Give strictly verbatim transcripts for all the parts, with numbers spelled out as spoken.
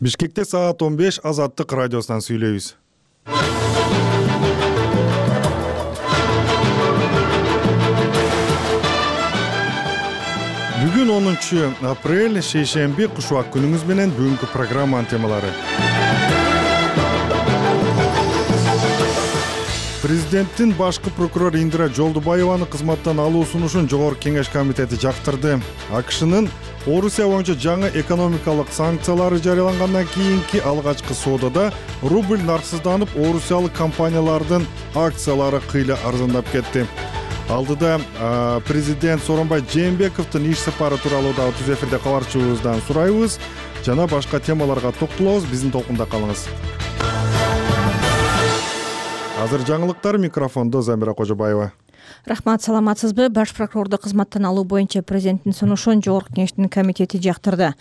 Бишкекте саат он беш Азаттык радиосунан сүйлөйбүз. Бүгүн онунчу апрель, шейшемби, кушубак күнүңүз менен бүгүнкү программанын темалары. Президенттин башкы прокурор Индира Жолдубаеваны кызматтан алуу сунушун Жогорку Кеңеш комитети жактырды. АКШнын Орусия боюнча жаңы экономикалык санкциялары жарыялангандан кийинки алгачкы соодада рубль нарксызданып, орусиялык компаниялардын акциялары кыйла арзандап кетти. Алдыда президент Сооронбай Жээнбековдун иш сапары тууралуу да түз эфирде кабарчыбыздан сурайбыз жана башка темаларга токтолобуз. Биздин толкунда калыңыз. Азыр жаңылыктар, микрофондо Замира Кожобаева. Рахмат, саламатсызбы? Баш прокурорду кызматтан алуу боюнча президенттин сунушун Жогорку Кеңештин комитети жактырды.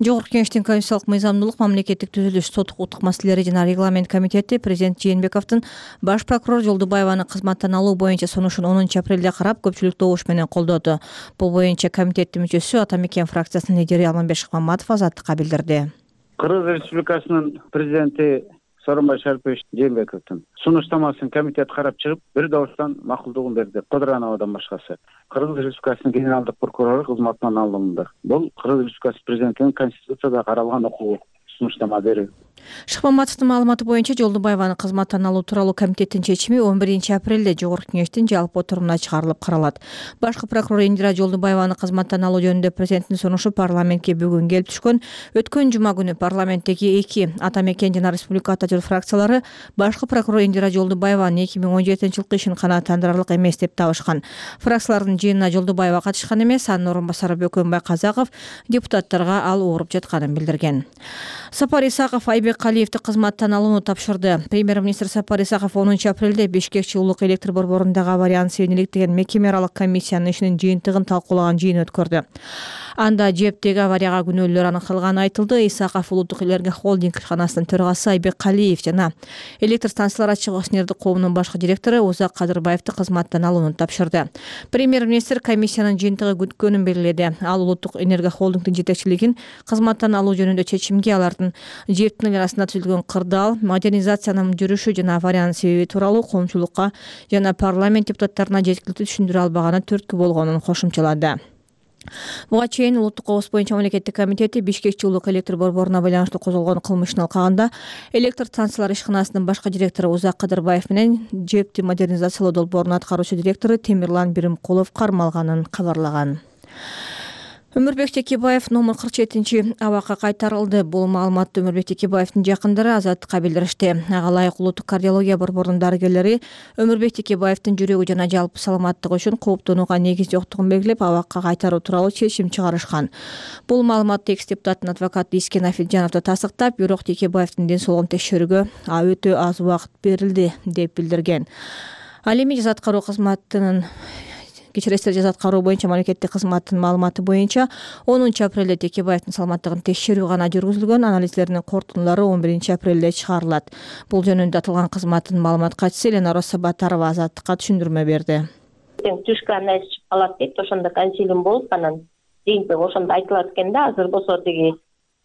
Жогорку Кеңештин конституциялык мыйзамдуулук, мамлекеттик түзүлүш, сот укуктук маселелери жана регламент комитети президент Жээнбековдун баш прокурор Жолдубаеваны кызматтан алуу боюнча сунушун онунчу апрелде карап, көпчүлүк добуш менен колдоду. Бул боюнча комитеттин мүчөсү Ата Мекен фракциясынын лидери Алмамбет Шыкмаматов Азаттыкка билдирди. Кыргыз Республикасынын президенти Сооронбай Шарипович Жээнбековдун сунуштамасын комитет карап чыгып, бир добуштан макулдугун берди. Кодурановдон башкасы. Кыргыз Республикасынын генералдык прокурору кызматтан алынды. Бул Кыргыз Республикасы президентинин конституцияда каралган укугу сунуштама берүү. Шыкмаматовдун маалыматы боюнча Жолдубаеваны кызматтан алуу тууралуу комитеттин чечими он биринчи апрелде Жогорку Кеңештин жалпы отурумуна чыгарылып каралат. Башкы прокурор Индира Жолдубаеваны кызматтан алуу жөнүндө президенттин сунушу парламентке бүгүн келип түшкөн. Өткөн жума күнү парламенттеги эки Ата Мекен жана Республика Ата Жол фракциялары башкы прокурор Индира Жолдубаеванын эки миң он жетинчи жылкы ишин канааттандырарлык эмес деп табышкан. Фракциялардын жыйынына Жолдубаева катышкан эмес, анын орун басары Бөкөнбай Казаков депутаттарга ал ооруп жатканын билдирген. Сапар Исаков Айбек Калиевди кызматтан алууну тапшырды. Премьер-министр Сапар Исаков онунчу апрелде Бишкек жылуулук электр борборундагы аварияны себеп деген мекеме аралык комиссиянын ишинин жыйынтыгын талкуулаган жыйын өткөрдү. Анда жептеги аварияга күнөөлөр аныкталганы айтылды. Исаков Улуттук энергия холдинг ишканасынын төрагасы Айбек Калиев жана электр станциялар ачык акционердик коомунун башкы директору Узак Кадырбаевди кызматтан алууну тапшырды. Премьер-министр комиссиянын жыйынтыгы күткөнүн белгиледи. Ал Улуттук энергия холдингдин жетекчилигин кызматтан алуу жөнүндө чечимге алардын жептин арасында түзүлгөн кырдаал, модернизациянын жүрүшү жана авариянын себеби тууралуу коомчулукка жана парламент депутаттарына жеткиликтүү түшүндүрө албаганы түрткү болгонун кошумчалады. Буга чейин Улуттук кооз боюнча мамлекеттик комитети Бишкек жылуулук электр борборуна байланыштуу козголгон кылмыштын алкагында электр станциялар ишканасынын башкы директору Узак Кадырбаев менен жепти модернизациялоо долбоорунун аткаруучу директору Темирлан Биримкулов кармалганын кабарлаган. Өмүрбек Текебаев номер кырк жетинчи абакка кайтарылды. Бул маалыматты Өмүрбек Текебаевдин жакындары Азаттыкка билдиришти. Ага ылайык Улуттук кардиология борборунун дарыгерлери Өмүрбек Текебаевдин жүрөгү жана жалпы саламаттыгы үчүн кооптонууга негиз жоктугун белгилеп, абакка кайтаруу тууралуу чечим чыгарышкан. Бул маалыматты экс депутаттын адвокаты Искен Афилжанов да тастыктап, бирок Текебаевдин ден соолугун текшерүүгө өтө аз убакыт берилди деп билдирген. Ал эми жаза аткаруу кызматынын Кечиресиздер, жаза аткаруу боюнча мамлекеттик кызматтын маалыматы боюнча онунчу апрелде Текебаевдин саламаттыгын текшерүү гана жүргүзүлгөн. Анализдердин корутундулары он биринчи апрелде чыгарылат. Бул жөнүндө аталган кызматтын маалымат катчысы Элена Росса-Батарова Азаттыкка түшүндүрмө берди. Түшкө анализ чыгып калат дейт, ошондо консилиум болуп, анан жыйынтыгы ошондо айтылат экен да. Азыр болсо тиги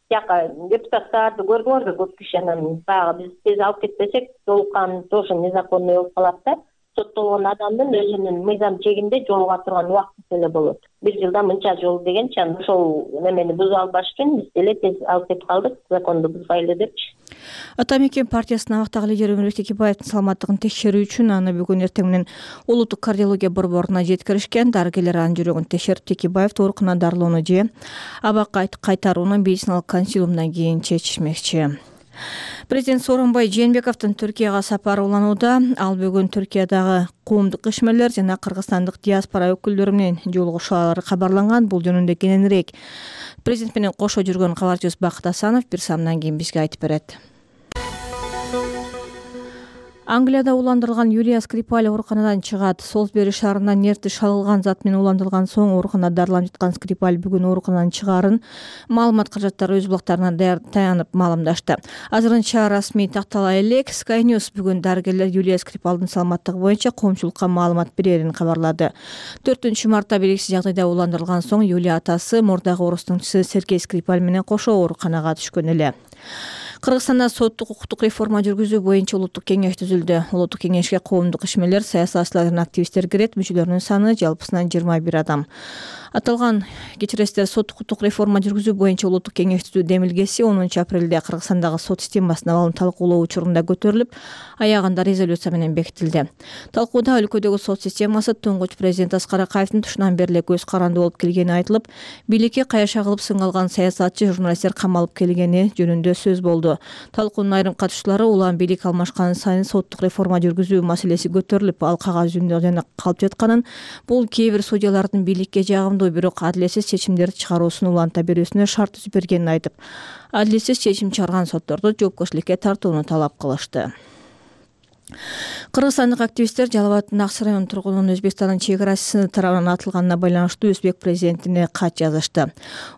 жака депутаттарды көрдүңөр да, көп киши анан баягы биз тез алып кетпесек, толукан тоже незаконный болуп калат да. Соттолгон адамдын өзүнүн мыйзам чегинде жолуга турган убакыт эле болот. Бир жылда мынча жол дегенчи, анан ошол немени бузуп албаш үчүн биз деле тез алып кетип калдык, законду бузбайлы депчи. Ата Мекен партиясынын абактагы лидери Өмүрбек Текебаевдин саламаттыгын текшерүү үчүн аны бүгүн эртең менен Улуттук кардиология борборуна жеткиришкен. Дарыгерлер анын жүрөгүн текшерип, Текебаевди ооруканага дарылоону же абакка кайтарууну медициналык консилиумдан кийин чечишмекчи. Президент Сооронбай Жээнбековдун Түркияга сапары уланууда. Ал бүгүн Түркиядагы коомдук ишмерлер жана кыргызстандык диаспора өкүлдөрү менен жолугушуулары кабарланган. Бул жөнүндө кененирээк президент менен кошо жүргөн кабарчыбыз Бакыт Асанов бир самдан кийин бизге айтып берет. Англияда уландырылган Юлия Скрипаль ооруканадан чыгат. Солсбери шаарынан нервти шалгылган зат менен уландырылган соң ооруканада дарыланып жаткан Скрипаль бүгүн ооруканадан чыгаарын маалымат каражаттары өз блогторуна таянып маалымдашты. Азырынча расмий тактала элек Sky News бүгүн дарыгерлер Юлия Скрипалдын саламаттыгы боюнча коомчулукка маалымат берерин кабарлады. төртүнчү мартта белгисиз жагдайда уландырылган соң Юлия атасы мурдагы орустуңчусу Сергей Скрипаль менен кошо ооруканага түшкөн эле. Кыргызстанда соттук укуктук реформа жүргүзүү боюнча улуттук кеңеш түзүлдү. Улуттук кеңешке коомдук ишмерлер, саясатчылар жана активисттер кирет. Мүчөлөрүнүн саны жалпысынан жыйырма бир адам. Аталган кечиресиздер соттук укуктук реформа жүргүзүү боюнча улуттук кеңеш түзүү демилгеси онунчу апрелде Кыргызстандагы сот системасына абалын талкуулоо учурунда көтөрүлүп, аягында резолюция менен бекитилди. Талкууда өлкөдөгү сот системасы туңгуч президент Аскар Акаевдин тушунан бери эле көз каранды болуп келгени айтылып, бийликке каяша кылып сынга алган саясатчы, журналисттер камалып келгени жөнүндө сөз болду. Талкуунун айрым катышчылары улам бийлик алмашкан сайын соттук реформа жүргүзүү маселеси көтөрүлүп, ал кагаз жүзүндө жана калып жатканын, бул кээ бир судьялардын бийликке жагымдуу бирок адилетсиз чечимдерди чыгаруусун уланта берүүсүнө шарт түзүп бергенин айтып, адилетсиз чечим чыгарган сотторду жоопкерчиликке тартууну талап кылышты. Кыргызстандык активисттер Жалал абаддын Аксы районунун тургунунун Өзбекстандын чек арасы тарабынан атылганына байланыштуу Өзбек президентине кат жазышты.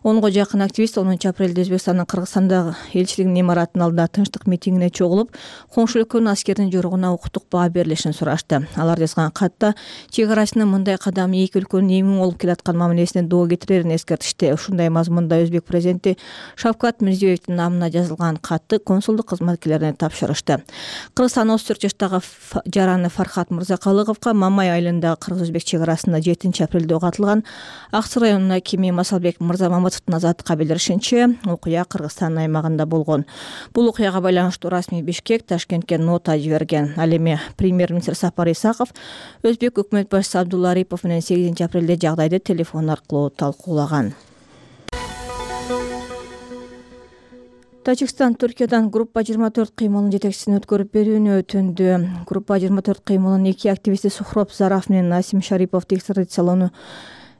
онго жакын активист онунчу апрелде Өзбекстандын Кыргызстандагы элчилигинин имаратынын алдында тынчтык митингине чогулуп, коңшу өлкөнүн аскердин жоругуна укуктук баа берилишин сурашты. Алар жазган катта чек арасынын мындай кадам эки өлкөнүн эми болуп келаткан мамилесине доо кетирерин эскертишти. Ушундай мазмунда Өзбек президенти Шавкат Мирзиёевдин намына жазылган катты консулдук кызматкерлерине тапшырышты. Кыргызстан отуз төрт жаштагы жараны Фархат Мырзакалыговго Мамай айылындагы кыргыз-өзбек чек арасында жетинчи апрелде ок атылган. Аксы районунун акими Масалбек Мырзамаматовдун азаттыкка билдиришинче, окуя Кыргызстан аймагында болгон. Бул окуяга байланыштуу расмий Бишкек Ташкентке нота жиберген. Ал эми премьер-министр Сапар Исаков Өзбек өкмөт башчысы Абдулла Арипов менен сегизинчи апрелде жагдайды телефон аркылуу талкуулаган. Тажикстан Түркиядан группа жыйырма төрт кыймылынын жетекчисин өткөрүп берүүнү өтүндү. Группа жыйырма төрт кыймылынын эки активисти Сухроб Зараф менен Насим Шариповду экстрадициялоону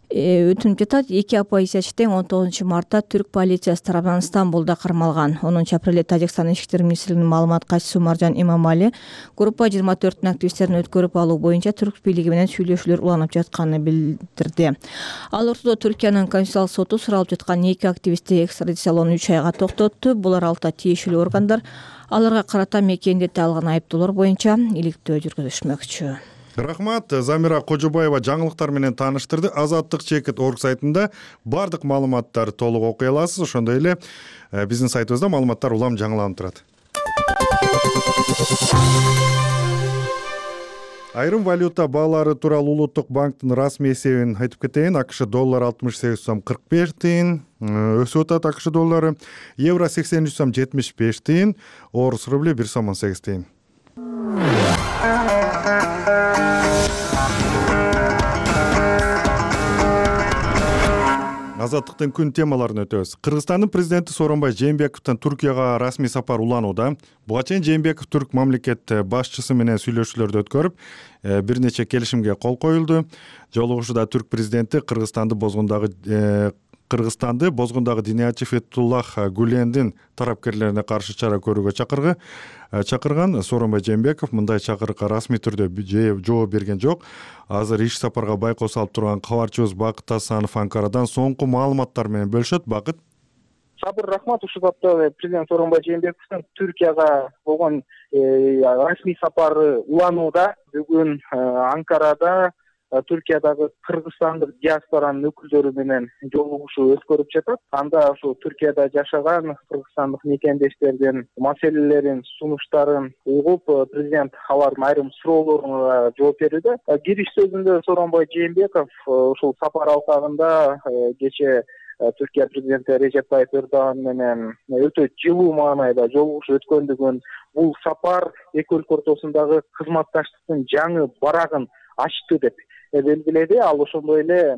өтүнүп жатат. Эки оппозициячы тең он тогузунчу мартта түрк полициясы тарабынан Стамбулда кармалган. онунчу апрелде Тажикстан ички иштер министрлигинин маалымат катчысы Умаржан Имамали группа жыйырма төрттүн активисттерин өткөрүп алуу боюнча түрк бийлиги менен сүйлөшүүлөр уланып жатканын билдирди. Ал ортодо Түркиянын конституциялык соту суралып жаткан эки активистти экстрадициялоону үч айга токтотту. Булар алта тийиштүү органдар аларга карата мекендетте алган айыптоолор боюнча иликтөө жүргүзүшмөкчү. Рахмат. Замира Кожобаева жаңылыктар менен тааныштырды. Азаттык чекит орг сайтында бардык маалыматтарды толук окуй аласыз. Ошондой эле биздин сайтыбызда маалыматтар улам жаңыланып турат. Айрым валюта баалары тууралуу Улуттук банктын расмий эсебин айтып кетейин. АКШ доллар алтымыш сегиз сом кырк беш тыйын өсүп атат. АКШ доллары евро сексен үч сом жетимиш беш тыйын, орус рубли бир сом он сегиз тыйын. Азаттыктын күн темаларын өтөбүз. Кыргызстандын президенти Сооронбай Жээнбековдун Түркияга расмий сапар уланууда. Буга чейин Жээнбеков түрк мамлекет башчысы менен сүйлөшүүлөрдү өткөрүп, бир нече келишимге кол коюлду. Жолугушууда түрк президенти Кыргызстанды бозгундагы Кыргызстанды бозгундагы Диниячи Фетуллах Гулендин тарапкерлерине каршы чара көрүүгө чакыргы чакырган. Сооронбай Жээнбеков мындай чакырыкка расмий түрдө жооп берген жок. Азыр иш сапарга байкоо салып турган кабарчыбыз Бакыт Асанов Анкарадан соңку маалыматтар менен бөлүшөт. Бакыт. Сабыр рахмат. Ушул бапта президент Сооронбай Жээнбековдун Түркияга болгон расмий сапары уланууда. Бүгүн Анкарада Түркиядагы кыргызстандык диаспоранын өкүлдөрү менен жолугушуу өткөрүп жатат. Анда ушул Түркияда жашаган кыргызстандык мекендештердин маселелерин, сунуштарын угуп, президент алардын айрым суроолоруна жооп берүүдө. Кириш сөзүндө Сооронбай Жээнбеков ушул сапар алкагында кечээ Түркия президенти Режеп Тайып Эрдоган менен өтө жылуу маанайда жолугушуу өткөндүгүн, бул сапар эки өлкө ортосундагы кызматташтыктын жаңы барагын ачты деп белгиледи. Ал ошондой эле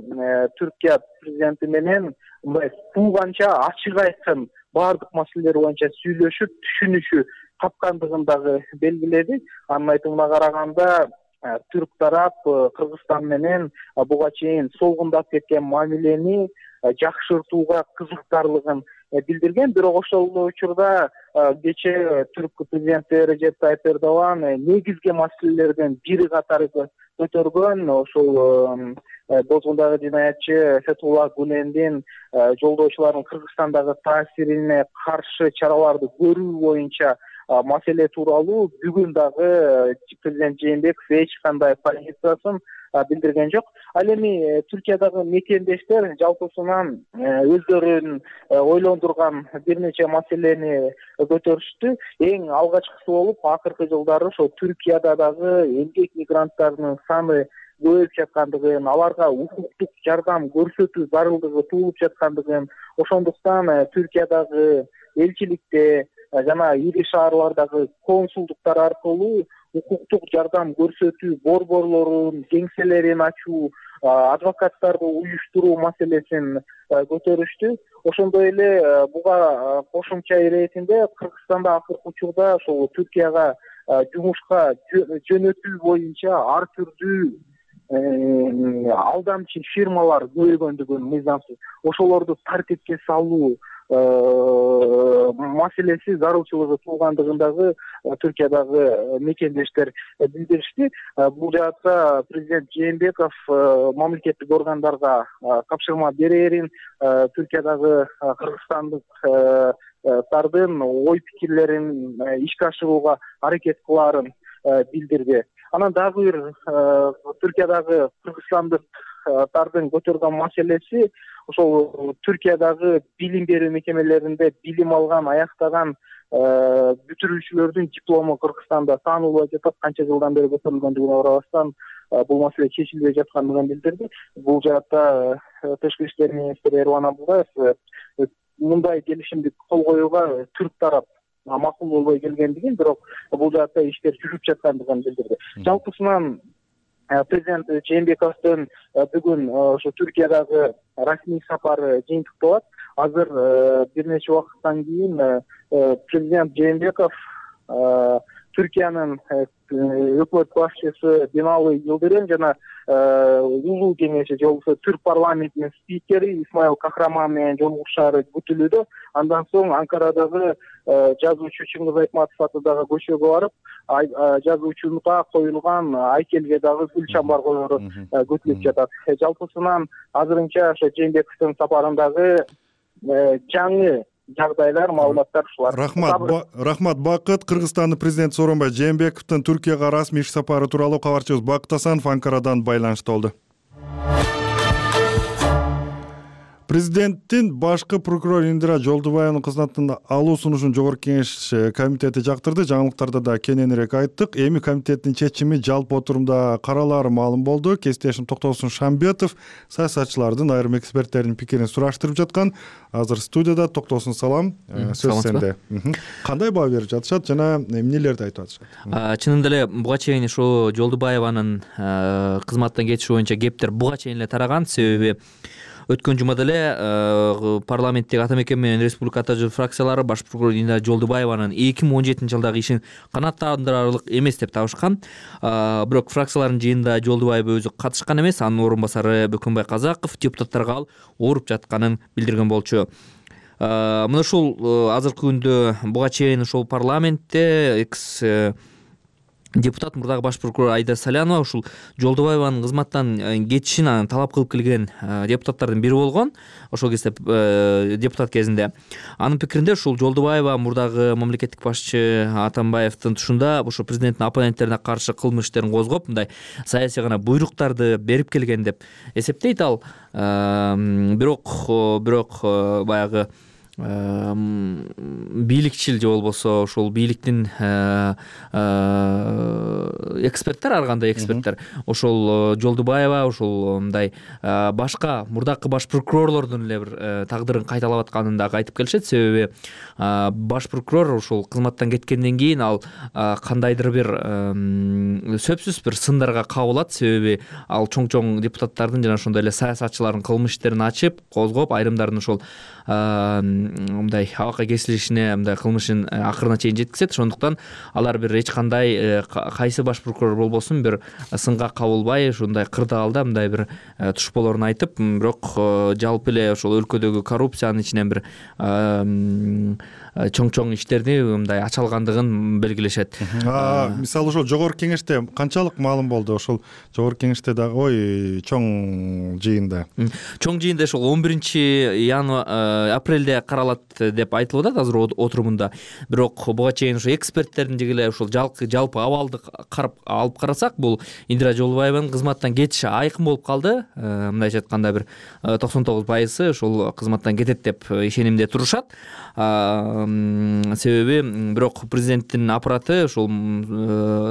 Түркия президенти менен мындай тууганча ачык айткан баардык маселелер боюнча сүйлөшүп, түшүнүшү тапкандыгын дагы белгиледи. Анын айтымына караганда түрк тарап Кыргызстан менен буга чейин солгундап кеткен мамилени жакшыртууга кызыктарлыгын билдирген. Бирок ошол учурда кечээ түрк президенти Режеп Тайип Эрдоган негизги маселелерден бири катары көтөргөн ошол бозгундагы жинаятчы Фетулла Гүлендин жолдоочулардын Кыргызстандагы таасирине каршы чараларды көрүү боюнча маселе тууралуу бүгүн дагы президент Жээнбеков эч кандай позициясын билдирген жок. Ал эми Түркиядагы мекендештер жалпысынан өздөрүн ойлондурган бир нече маселени көтөрүштү. Эң алгачкысы болуп, акыркы жылдары ошо Түркияда дагы эмгек мигранттарынын саны көбөйүп жаткандыгын, аларга укуктук жардам көрсөтүү зарылдыгы туулуп жаткандыгын, ошондуктан Түркиядагы элчиликте жана ири шаарлардагы консулдуктар аркылуу укуктук жардам көрсөтүү борборлорун, кеңселерин ачуу, адвокаттарды уюштуруу маселесин көтөрүштү. Ошондой эле буга кошумча иретинде Кыргызстанда акыркы учурда ошол Түркияга жумушка жөнөтүү боюнча ар түрдүү алдамчы фирмалар көбөйгөндүгүн мыйзамсыз ошолорду тартипке салуу маселеси зарылчылыгы туугандыгын дагы Түркиядагы мекендештер билдиришти. Бул жаатта президент Жээнбеков мамлекеттик органдарга тапшырма берерин, Түркиядагы кыргызстандыктардын ой пикирлерин ишке ашырууга аракет кылаарын билдирди. Анан дагы бир Түркиядагы кыргызстандыктардын көтөргөн маселеси ошол Түркиядагы билим берүү мекемелеринде билим алган, аяктаган бүтүрүүчүлөрдүн диплому Кыргызстанда таанылбай жатат. Канча жылдан бери көтөрүлгөндүгүнө карабастан бул маселе чечилбей жаткандыгын билдирди. Бул жаатта тышкы иштер министри Эрлан Абылдаев мындай келишимди кол коюуга түрк тарап макул болбой келгендигин, бирок бул жаатта иштер жүрүп жаткандыгын билдирди. Жалпысынан президент Жээнбековдун бүгүн ошо Түркиядагы расмий сапары жыйынтыкталат. Азыр бир нече убакыттан кийин президент Жээнбеков Түркиянын өкмөт башчысы Бинали Йылдырым жана улуу кеңеши же болбосо түрк парламентинин спикери Исмаил Кахраман менен жолугушаары күтүлүүдө. Андан соң Анкарадагы жазуучу Чыңгыз Айтматов атындагы көчөгө барып, жазуучунга коюлган айкелге дагы гүл чамбар коеру күтүлүп жатат. Жалпысынан азырынча ошо Жээнбековдун сапарындагы жаңы жагдайлар, маалыматтар ушулар. Рахмат, рахмат Бакыт. Кыргызстандын президенти Сооронбай Жээнбековдун Түркияга расмий иш сапары тууралуу кабарчыбыз Бакыт Асанов Анкарадан байланышта болду. Президенттин башкы прокурор Индира Жолдубаеванын кызматтан алуу сунушун Жогорку Кеңеш комитети жактырды. Жаңылыктарда да кененирээк айттык. Эми комитеттин чечими жалпы отурумда каралаары маалым болду. Кесиптешим Токтосун Шамбетов саясатчылардын, айрым эксперттердин пикирин сураштырып жаткан. Азыр студияда. Токтосун салам. Сөз сенде. Кандай баа берип жатышат жана эмнелерди айтып атышат? Чынында эле буга чейин ошо Жолдубаеванын кызматтан кетиши боюнча кептер буга чейин эле тараган. Себеби өткөн жумада эле парламенттеги ата мекен менен республика ата жол фракциялары баш прокурор Индира Жолдубаеванын эки миң он жетинчи жылдагы ишин канааттандырарлык эмес деп табышкан. Бирок фракциялардын жыйынында Жолдубаев өзү катышкан эмес. Анын орун басары Бөкөнбай Казаков депутаттарга ал ооруп жатканын билдирген болчу. Мына ушул азыркы күндө буга чейин ошол парламентте экс депутат мурдагы баш прокурор Айда Салянова ушул Жолдубаеванын кызматтан кетишин анан талап кылып келген депутаттардын бири болгон. Ошол кезде депутат кезинде анын пикиринде ушул Жолдубаева мурдагы мамлекеттик башчы Атамбаевдин тушунда ошо президенттин оппоненттерине каршы кылмыш иштерин козгоп, мындай саясий гана буйруктарды берип келген деп эсептейт ал. Бирок бирок баягы бийликчил же болбосо ошол бийликтин эксперттер, ар кандай эксперттер ошол Жолдубаева ошол мындай башка мурдакы баш прокурорлордун эле бир тагдырын кайталап атканын дагы айтып келишет. Себеби баш прокурор ошол кызматтан кеткенден кийин ал кандайдыр бир сөзсүз бир сындарга кабылат. Себеби ал чоң чоң депутаттардын жана ошондой эле саясатчылардын кылмыш иштерин ачып, козгоп, айрымдарын ошол мындай абакка кесилишине, мындай кылмышын акырына чейин жеткизет. Ошондуктан алар бир эч кандай кайсы баш прокурор болбосун бир сынга кабылбай ушундай кырдаалда мындай бир туш болоорун айтып, бирок жалпы эле ошол өлкөдөгү коррупциянын ичинен бир чоң-чоң иштерди мындай ача алгандыгын белгилешет. Мисалы ошол жогорку кеңеште канчалык маалым болду? Ошол жогорку кеңеште дагы ой чоң жыйында. Чоң жыйында ошол он биринчи январь апрелде каралат деп айтылып атат азыр отурумунда. Бирок буга чейин ошо эксперттердин деги эле ошол жалпы абалды карап алып карасак, бул Индира Жолдубаеванын кызматтан кетиши айкын болуп калды. Мындайча айтканда бир токсон тогуз пайызы ошол кызматтан кетет деп ишенимде турушат. Себеби бирок президенттин аппараты ошол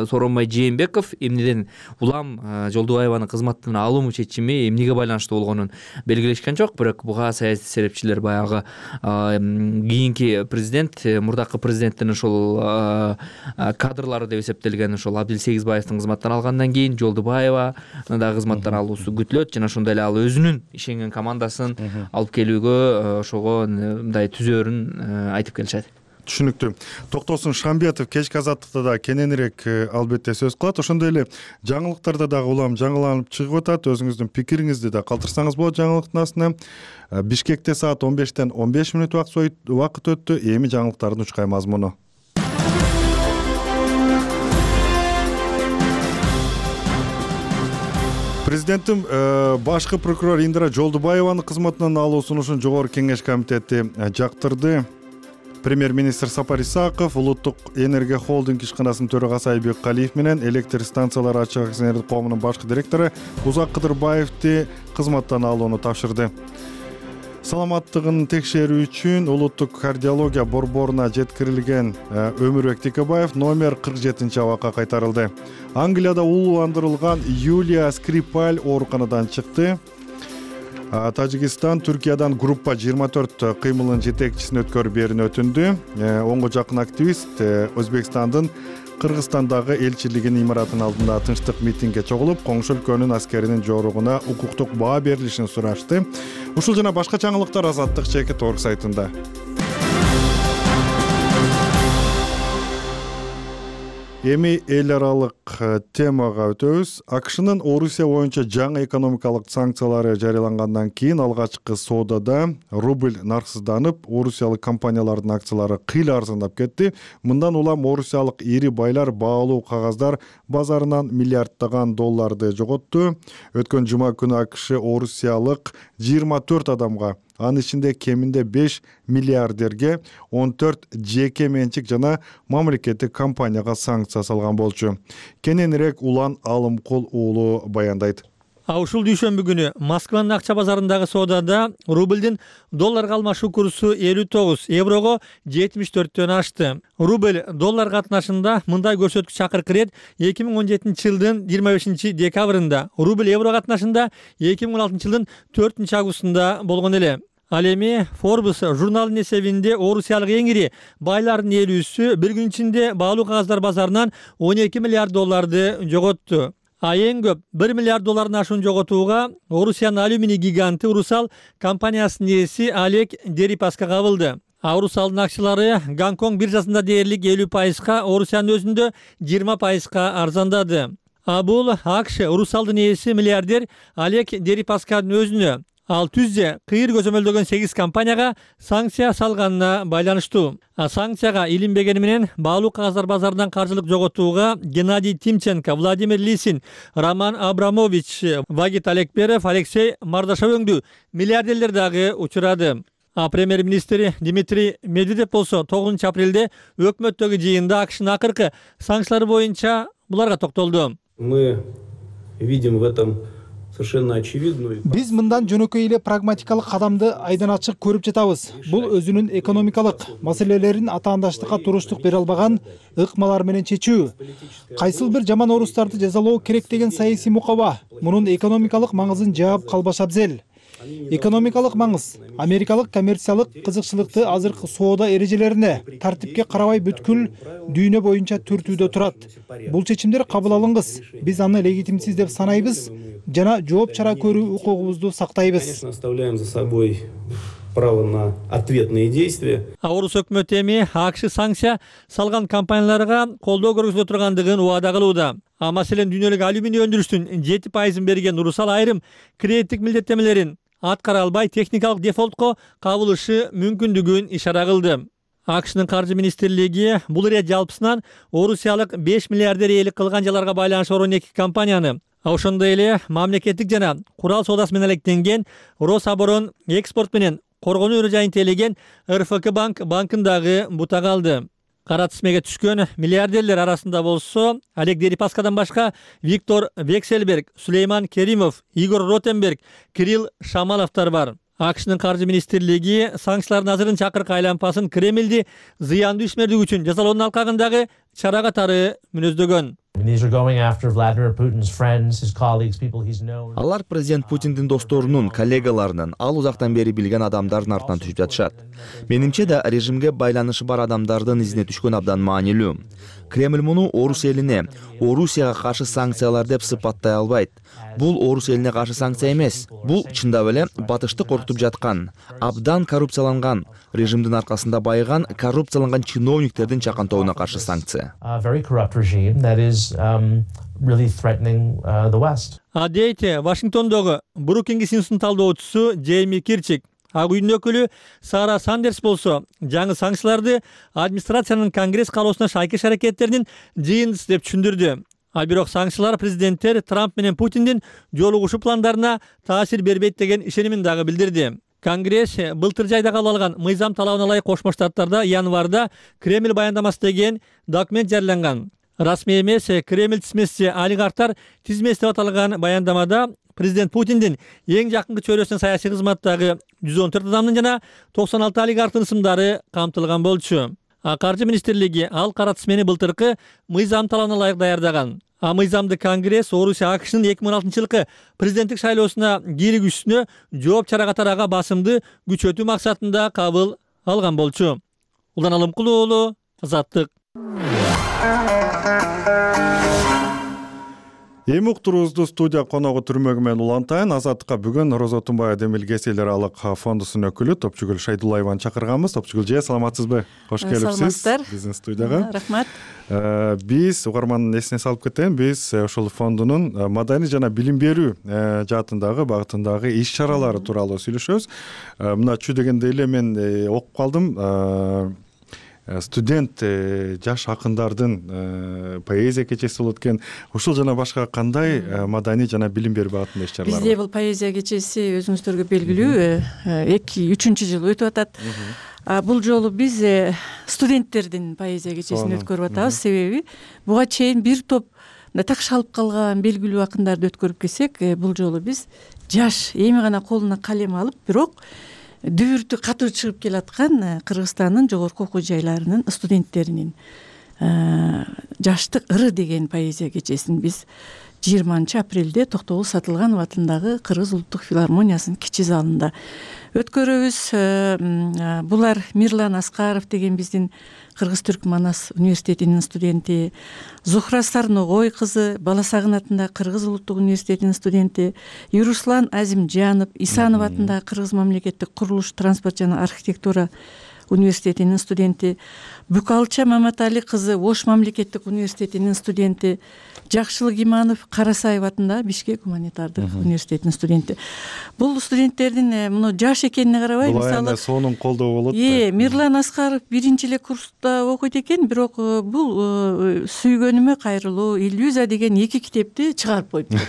Сооронбай Жээнбеков эмнеден улам Жолдубаеванын кызматтан алуу чечими эмнеге байланыштуу болгонун белгилешкен жок. Бирок буга саясий серепчилер баягы кийинки президент, мурдакы президенттин ошол кадрлары деп эсептелген ошол Абдил Сегизбаевдин кызматтан алгандан кийин Жолдубаева да кызматтан алуусу күтүлөт жана ошондой эле ал өзүнүн ишенген командасын алып келүүгө ошого мындай түзөөрүн айтып келишет. Түшүнүктүү. Токтосун Шамбетов кечки азаттыкта да кененирээк албетте сөз кылат. Ошондой эле жаңылыктарда дагы улам жаңыланып чыгып атат. Өзүңүздүн пикириңизди да калтырсаңыз болот жаңылыктын астына. Бишкекте саат он бештен он беш мүнөт убакыт өттү. Эми жаңылыктардын учкай мазмуну. Президенттин башкы прокурор Индира Жолдубаеванын кызматынан алуу сунушун жогорку кеңеш комитети жактырды. Премьер-министр Сапар Исаков, Улуттук энергия холдинг ишканасынын төрагасы Айбек Калиев менен электр станциялары ачык акционердик коомунун башкы директору Узак Кыдырбаевди кызматтан алууну тапшырды. Саламаттыгын текшерүү үчүн улуттук кардиология борборуна жеткирилген Өмүрбек Текебаев номер кырк жетинчи абакка кайтарылды. Англияда улууландырылган Юлия Скрипаль ооруканадан чыкты. Тажикстан Түркиядан группа жыйырма төрт кыймылын жетекчисин өткөрүп берүүнү өтүндү. Онго жакын активист Өзбекстандын Кыргызстандагы элчилигинин имаратынын алдында тынчтык митингге чогулуп, коңшу өлкөнүн аскеринин жоругуна укуктук баа берилишин сурашты. Ушул жана башка жаңылыктар Азаттык чекит орг сайтында. Эми эл аралык темага өтөбүз. АКШнын Орусия боюнча жаңы экономикалык санкциялары жарыялангандан кийин алгачкы соодада рубль нарксызданып, орусиялык компаниялардын акциялары кыйла арзандап кетти. Мындан улам орусиялык ири байлар баалуу кагаздар базарынан миллиарддаган долларды жоготту. Өткөн жума күнү АКШ орусиялык жыйырма төрт адамга, анын ичинде кеминде беш миллиардерге, он төрт жеке менчик жана мамлекеттик компанияга санкция салган болчу. Кененирээк Улан Алымкул уулу баяндайт. А ушул дүйшөмбү күнү Москванын акча базарындагы соодада рубльдин долларга алмашуу курсу элүү тогуз еврого жетимиш төрттөн ашты. Рубль доллар катнашында мындай көрсөткүч акыркы ирет эки миң он жетинчи жылдын жыйырма бешинчи декабрында, рубль евро катнашында эки миң он алтынчы жылдын төртүнчү августунда болгон эле. Ал эми Forbes журналынын эсебинде орусиялык эң ири байлардын элүүсү бир күн ичинде баалуу кагаздар базарынан он эки миллиард долларды жоготту. А эң көп бир миллиард доллардын ашуун жоготууга Орусиянын алюминий гиганты Урусал компаниясынын ээси Олег Дерипаска кабылды. А Урусалдын акчалары Гонконг биржасында дээрлик элүү пайызга, Орусиянын өзүндө жыйырма пайызга арзандады. А бул АКШ Урусалдын ээси миллиардер Олег Дерипасканын өзүнө, ал түзде кыйыр көзөмөлдөгөн сегиз компанияга санкция салганына байланыштуу. А санкцияга илинбегени менен баалуу кагаздар базарынан каржылык жоготууга Геннадий Тимченко, Владимир Лисин, Роман Абрамович, Вагит Алекперов, Алексей Мардашов өңдүү миллиардерлер дагы учурады. А премьер-министр Дмитрий Медведев болсо тогузунчу апрелде өкмөттөгү жыйында АКШнын акыркы санкциялары боюнча буларга токтолду. Мы видим в этом совершенно очевидную. Биз мындан жөнөкөй эле прагматикалык кадамды айдан ачык көрүп жатабыз. Бул өзүнүн экономикалык маселелерин атаандаштыкка туруштук бере албаган ыкмалар менен чечүү. Кайсыл бир жаман орустарды жазалоо керек деген саясий мукаба мунун экономикалык маңызын жаап калбаш абзел. Экономикалык маңыз америкалык коммерциялык кызыкчылыкты азыркы соода эрежелерине тартипке карабай бүткүл дүйнө боюнча түртүүдө турат. Бул чечимдер кабыл алынгыс. Биз аны легитимсиз деп санайбыз жана жооп чара көрүү укугубузду сактайбыз. Конечно, оставляем за собой право на ответные действия. Орус өкмөтү эми АКШ санкция салган компанияларга колдоо көрсөтө тургандыгын убада кылууда. А маселен дүйнөлүк алюминий өндүрүштүн жети пайызын берген Урусал айрым кредиттик милдеттемелерин аткара албай техникалык дефолтко кабылышы мүмкүндүгүн ишара кылды. АКШнын каржы министрлиги бул ирет жалпысынан орусиялык беш миллиардер ээлик кылган жаларга байланыш он эки компанияны, а ошондой эле мамлекеттик жана курал соодасы менен алектенген Рособорон экспорт менен коргонуу ыры жайын тейлеген эр эф ка банк банкын дагы бутага алды. Кара тизмеге түшкөн миллиардерлер арасында болсо Олег Дерипаскадан башка Виктор Вексельберг, Сулейман Керимов, Игорь Ротенберг, Кирилл Шамаловдор бар. АКШнын каржы министрлиги санкциялардын азырын чакыркы айланпасын Кремлди зыяндуу ишмердик үчүн жазалоонун алкагындагы чара катары мүнөздөгөн. Алар президент Путиндин досторунун, коллегаларынын, ал узактан бери билген адамдардын артынан түшүп жатышат. Менимче да режимге байланышы бар адамдардын изине түшкөн абдан маанилүү. Кремль муну Орус элине, Орусияга каршы санкциялар деп сыпаттай албайт. Бул Орус элине каршы санкция эмес. Бул чындап эле батышты коркутуп жаткан, абдан коррупцияланган, режимдин аркасында байыган, коррупцияланган чиновниктердин чакантобуна каршы санкция. А дейт Вашингтондогу Брукингс институтунун талдоочусу Джейми Кирчик. Ак үйдүн өкүлү Сара Сандерс болсо жаңы санкцияларды администрациянын Конгресс каалоосуна шайкеш аракеттеринин жыйындысы деп түшүндүрдү. А бирок санкциялар президенттер Трамп менен Путиндин жолугушуу пландарына таасир бербейт деген ишенимин дагы билдирди. Конгресс былтыр жайда кабыл алган мыйзам талабына ылайык Кошмо Штаттарда январда Кремль баяндамасы деген документ жарыяланган. Расмий эмес Кремль тизмеси олигархтар тизмеси деп аталган баяндамада президент Путиндин эң жакынкы чөйрөсүнүн саясий кызматтагы жүз он төрт адамдын жана токсон алты олигархтын ысымдары камтылган болчу. А каржы министрлиги ал кара тизмени былтыркы мыйзам талабына ылайык даярдаган. А мыйзамды Конгресс Орусия АКШнын эки миң он алтынчы жылкы президенттик шайлоосуна кийлигүүсүнө жооп чара катары ага басымды күчөтүү максатында кабыл алган болчу. Улан Алымкулуу уулу, Азаттык. Эми уктуруубузду студия коногу түрмөгү менен улантайын. Азаттыкка бүгүн Роза Тумбай Демил Кесел аралык фондусунун өкүлү Топчугүл Шайдуллаеваны чакырганбыз. Топчугүл же, саламатсызбы? Кош келипсиз биздин студияга. Рахмат. Биз угармандын эсине салып кетейин. Биз ушул фондунун маданий жана билим берүү жаатындагы багытындагы иш чаралары тууралуу сүйлөшөбүз. Мына чүй дегенде эле мен окуп калдым. Студент жаш акындардын поэзия кечеси болот экен. Ушул жана башка кандай маданий жана билим берүү багытында иш чаралар бар? Бизде бул поэзия кечеси өзүңүздөргө белгилүү эки үчүнчү жыл өтүп атат. Бул жолу биз студенттердин поэзия кечесин өткөрүп атабыз. Себеби буга чейин бир топ такшалып калган белгилүү акындарды өткөрүп келсек, бул жолу биз жаш эми гана колуна калем алып, бирок дүбүртү катуу чыгып келаткан Кыргызстандын жогорку окуу жайларынын студенттеринин жаштык ыры деген поэзия кечесин биз жыйырманчы апрелде Токтогул Сатылганов атындагы Кыргыз улуттук филармониясынын кичи залында өткөрөбүз. Булар Мирлан Аскаров деген биздин Кыргыз-Түрк Манас университетинин студенти, Зухра Сарногой кызы Бала Сагын атындагы Кыргыз улуттук университетинин студенти, Юруслан Азимжанов Исанов атындагы Кыргыз мамлекеттик курулуш, транспорт жана архитектура университетинин студенти, Бүкалча Маматали кызы Ош мамлекеттик университетинин студенти, Жакшылык Иманов Карасаев атындагы Бишкек гуманитардык университетинин студенти. Бул студенттердин муну жаш экенине карабай, мисалы сонун колдоо болот. Э, Мирлан Аскаров биринчи эле курста окуйт экен, бирок бул Сүйгөнүмө кайрылуу, Иллюзия деген эки китепти чыгарып коюптур.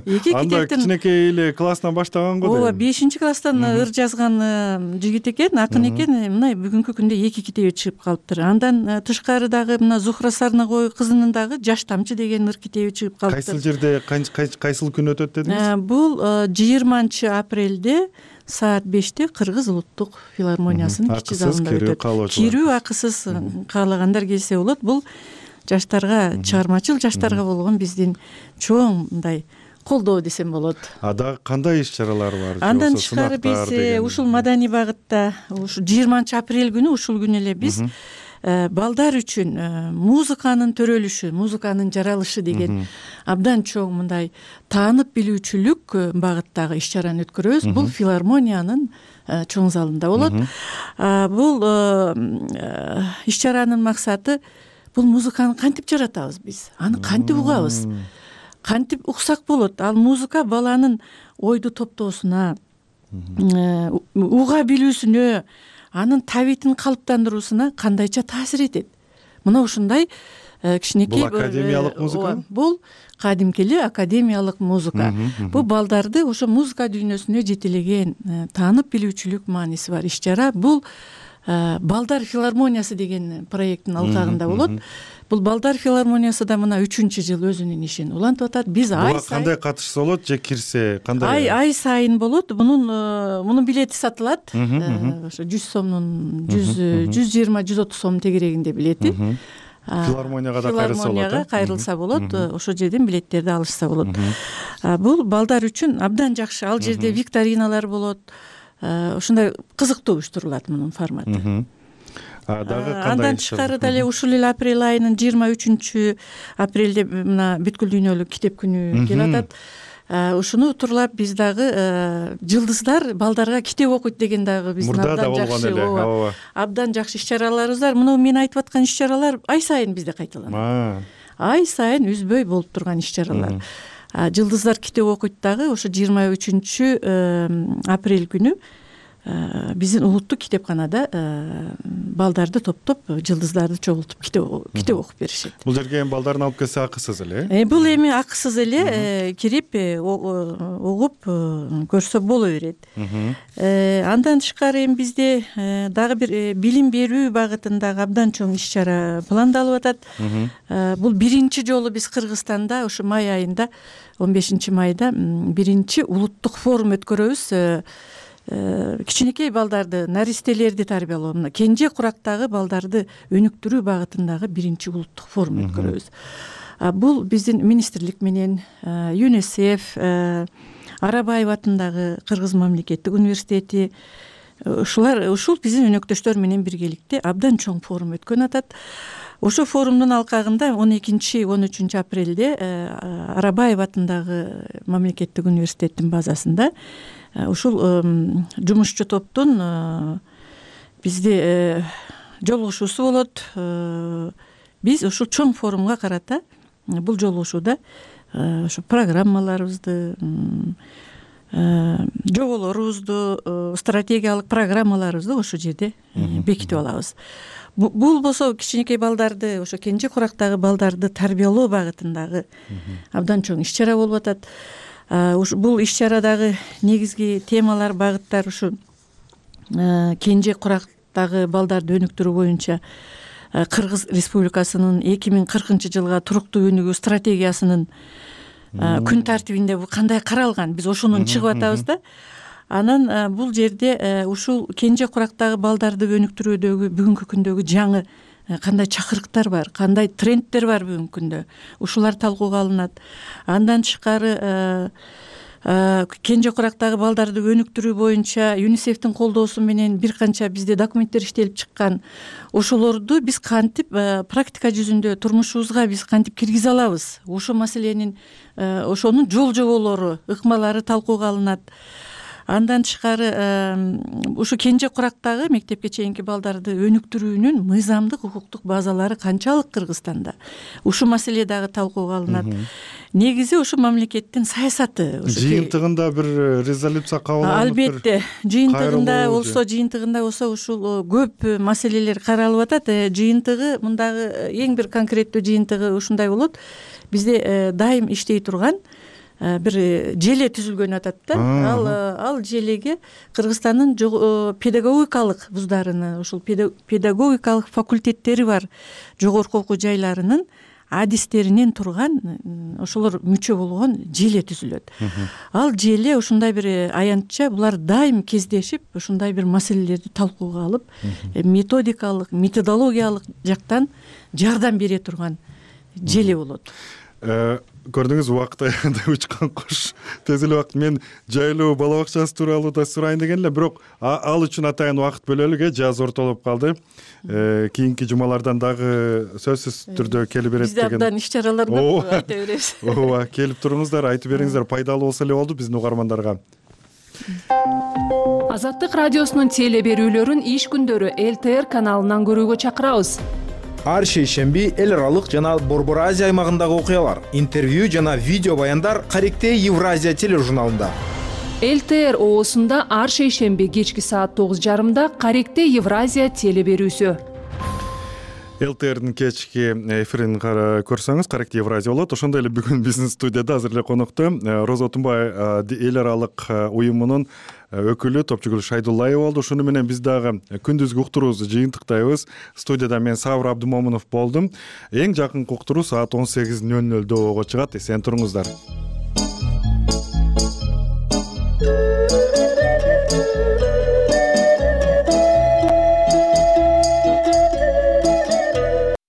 Эки китептин. Анда кичинекей эле класстан баштаган го. Ооба, бешинчи класстан ыр жазган жигит экен, акын экен. Мына бүгүнкү күндө эки китеби чыгып калыптыр. Андан тышкары дагы мына Зухра Сарногой кызынын дагы Жаш тамчы деген ыр китеби чыгып калыптыр. Кайсыл жерде, кайсыл күн өтөт дедиңиз? Бул жыйырманчы апрелде саат беште Кыргыз улуттук филармониясынын кичи залында өтөт. Кирүү акысыз, каалагандар келсе болот. Бул жаштарга, чыгармачыл жаштарга болгон биздин чоң мындай колдоо десем болот. Ада кандай иш чаралар бар? Андан тышкары биз ушул маданий багытта ушу жыйырманчы апрель күнү ушул күнү эле биз балдар үчүн музыканын төрөлүшү, музыканын жаралышы деген абдан чоң мындай таанып билүүчүлүк багыттагы иш чараны өткөрөбүз. Бул филармониянын чоң залында болот. Бул иш чаранын максаты бул музыканы кантип жаратабыз биз, аны кантип угабыз, кантип уксак болот. Ал музыка баланын ойду топтоосуна, уга билүүсүнө, анын табитин калыптандыруусуна кандайча таасир этет. Мына ушундай кичинекей. Бул академиялык музыка? Бул кадимки эле академиялык музыка. Бул балдарды ошо музыка дүйнөсүнө жетелеген таанып билүүчүлүк мааниси бар иш чара. Бул Балдар филармониясы деген проекттин алкагында болот. Бул Балдар филармониясы да мына үчүнчү жыл өзүнүн ишин улантып атат. Биз ай сайын кандай катышса болот же кирсе кандай? Ай ай сайын болот. Мунун мунун билети сатылат. Ошо жүз сомдун жүз жыйырма жүз отуз сом тегерегинде билети. Филармонияга да кайрылса болот. Филармонияга кайрылса болот. Ошол жерден билеттерди алышса болот. Бул балдар үчүн абдан жакшы. Ал жерде викториналар болот. Ушундай кызыктуу уюштурулат мунун форматы. Дагы кандай? Андан тышкары деле ушул эле апрель айынын жыйырма үчүнчү апрелде мына бүткүл дүйнөлүк китеп күнү келип атат. Ушуну турлап биз дагы жылдыздар балдарга китеп окуйт деген дагы биздин абдан жакшы, абдан жакшы иш чараларыбыз бар. Мына мен айтып аткан иш чаралар ай сайын бизде кайталанат. Ай сайын үзбөй болуп турган иш чаралар. Жылдыздар китеп окуйт дагы ошо жыйырма үчүнчү апрель күнү биздин улуттук китепканада балдарды топтоп, жылдыздарды чогултуп китеп окуп беришет. Бул жерге эми балдарын алып келсе акысыз эле? Бул эми акысыз эле, кирип угуп көрсө боло берет. Андан тышкары эми бизде дагы бир билим берүү багытындагы абдан чоң иш чара пландалып атат. Бул биринчи жолу биз Кыргызстанда ошо май айында, он бешинчи майда биринчи улуттук форум өткөрөбүз. Кичинекей балдарды, наристелерди тарбиялоо, мына кенже курактагы балдарды өнүктүрүү багытындагы биринчи улуттук форум өткөрөбүз. Бул биздин министрлик менен ЮНИСЕФ, Арабаев атындагы Кыргыз мамлекеттик университети, ушулар ушул биздин өнөктөштөр менен биргеликте абдан чоң форум өткөн атат. Ошо форумдун алкагында он экинчи он үчүнчү апрелде Арабаев атындагы мамлекеттик университеттин базасында ушул жумушчу топтун бизде жолугушуусу болот. Биз ушул чоң форумга карата бул жолугушууда ошо программаларыбызды, жоболорубузду, стратегиялык программаларыбызды ошол жерде бекитип алабыз. Бул болсо кичинекей балдарды, ошо кенже курактагы балдарды тарбиялоо багытындагы абдан чоң иш чара болуп атат. Бул иш чарадагы негизги темалар, багыттар ушу кенже курактагы балдарды өнүктүрүү боюнча Кыргыз Республикасынын эки миң кыркынчы жылга туруктуу өнүгүү стратегиясынын күн тартибинде бул кандай каралган, биз ошонун чыгып атабыз да. Анан бул жерде ушул кенже курактагы балдарды өнүктүрүүдөгү бүгүнкү күндөгү жаңы кандай чакырыктар бар, кандай трендтер бар бүгүнкү күндө, ушулар талкууга алынат. Андан тышкары кенже курактагы балдарды өнүктүрүү боюнча ЮНИСЕФтин колдоосу менен бир канча бизде документтер иштелип чыккан. Ошолорду биз кантип практика жүзүндө турмушубузга биз кантип киргизе алабыз? Ошол маселенин, ошонун жол жоболору, ыкмалары талкууга алынат. Андан тышкары ушу кенже курактагы мектепке чейинки балдарды өнүктүрүүнүн мыйзамдык укуктук базалары канчалык Кыргызстанда? Ушу маселе дагы талкууга алынат. Негизи ушу мамлекеттин саясаты. Жыйынтыгында бир резолюция кабыл алынып. Албетте, жыйынтыгында болсо, жыйынтыгында болсо ушул көп маселелер каралып атат. Жыйынтыгы мындагы эң бир конкреттүү жыйынтыгы ушундай болот. Бизде дайым иштей турган бир желе түзүлгөн атат да. Ал ал желеге Кыргызстандын педагогикалык вуздарынын, ушул педагогикалык факультеттери бар жогорку окуу жайларынын адистеринен турган ошолор мүчө болгон желе түзүлөт. Ал желе ушундай бир аянтча булар дайым кездешип, ушундай бир маселелерди талкууга алып, методикалык, методологиялык жактан жардам бере турган желе болот. көрдүңүз убакыт аягында учкан кош тез эле убакыт мен жайлоо бала бакчасы тууралуу да сурайын деген эле бирок ал үчүн атайын убакыт бөлөлүк э жаз ортолоп калды. Кийинки жумалардан дагы сөзсүз түрдө келип берет деген. Бизде абдан иш чаралар бар, айта беребиз. Ооба, келип туруңуздар, айтып бериңиздер, пайдалуу болсо эле болду биздин угармандарга. Азаттык радиосунун теле берүүлөрүн иш күндөрү эл тэ эр каналынан көрүүгө чакырабыз. Ар шейшемби эл аралык жана Борбор Азия аймагындагы окуялар, интервью жана видео баяндар Каректээ Евразия тележурналында. эл тэ эр оосунда ар шейшемби кечки саат тогуз жарымда Каректээ Евразия теле берүүсү. эл тэ эрдин кечки эфирин көрсөңүз Каректээ Евразия болот. Ошондой эле бүгүн биздин студияда азыр эле конокто Роза Отунбай эл аралык уюмунун өкүлү Топчугүл Шайдуллаева болду. Ушуну менен биз дагы күндүзгү уктуруубузду жыйынтыктайбыз. Студияда мен Сабыр Абдымомунов болдум. Эң жакынкы уктуруу саат он сегиз нөл нөлдө ого чыгат. Эсен туруңуздар.